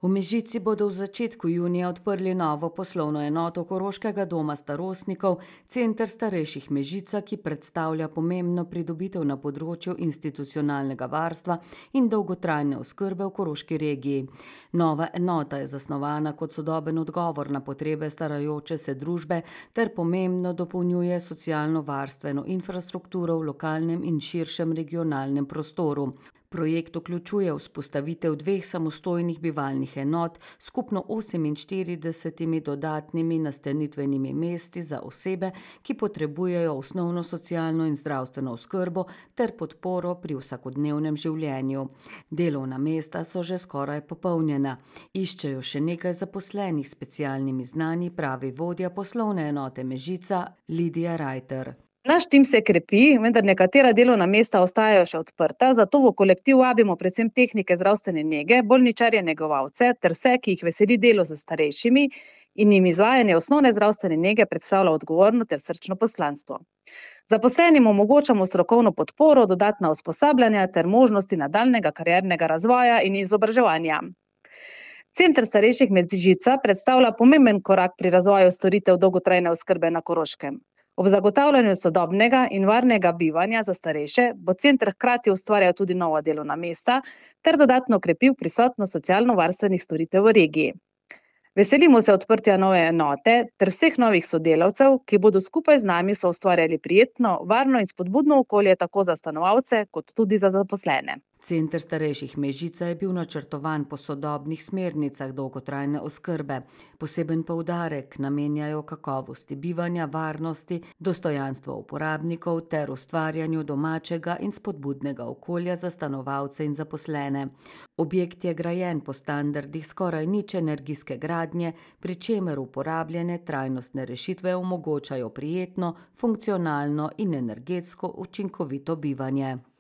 V Mežici bodo v začetku junija odprli novo poslovno enoto Koroškega doma starostnikov, center starejših Mežica, ki predstavlja pomembno pridobitev na področju institucionalnega varstva in dolgotrajne oskrbe v koroški regiji. Nova enota je zasnovana kot sodoben odgovor na potrebe starajoče se družbe ter pomembno dopolnjuje socialno-varstveno infrastrukturo v lokalnem in širšem regionalnem prostoru. Projekt vključuje vzpostavitev 2 samostojnih bivalnih enot, skupno 48 dodatnimi nastanitvenimi mesti za osebe, ki potrebujejo osnovno socialno in zdravstveno oskrbo ter podporo pri vsakodnevnem življenju. Delovna mesta so že skoraj popolnjena. Iščejo še nekaj zaposlenih s specialnimi znanji, pravi vodja poslovne enote Mežica Lidija Rajter. Naš tim se krepi, vendar nekatera delovna mesta ostajajo še odprta, zato v kolektiv vabimo predvsem tehnike zdravstvene nege, bolničarje negovalce ter vse, ki jih veseli delo z starejšimi in jim izvajanje osnovne zdravstvene nege predstavlja odgovorno ter srčno poslanstvo. Zaposlenim omogočamo strokovno podporo, dodatna usposabljanja ter možnosti nadaljnjega kariernega razvoja in izobraževanja. Center starejših Mežica predstavlja pomemben korak pri razvoju storitev dolgotrajne oskrbe na Koroškem. Ob zagotavljanju sodobnega in varnega bivanja za starejše bo center hkrati ustvarjal tudi nova delovna mesta ter dodatno krepil prisotnost socialno-varstvenih storitev v regiji. Veselimo se odprtja nove enote ter vseh novih sodelavcev, ki bodo skupaj z nami soustvarjali prijetno, varno in spodbudno okolje tako za stanovalce kot tudi za zaposlene. Center starejših Mežica je bil načrtovan po sodobnih smernicah dolgotrajne oskrbe. Poseben poudarek namenjajo kakovosti bivanja, varnosti, dostojanstva uporabnikov ter ustvarjanju domačega in spodbudnega okolja za stanovalce in zaposlene. Objekt je grajen po standardih skoraj nič energijske gradnje, pri čemer uporabljene trajnostne rešitve omogočajo prijetno, funkcionalno in energetsko učinkovito bivanje.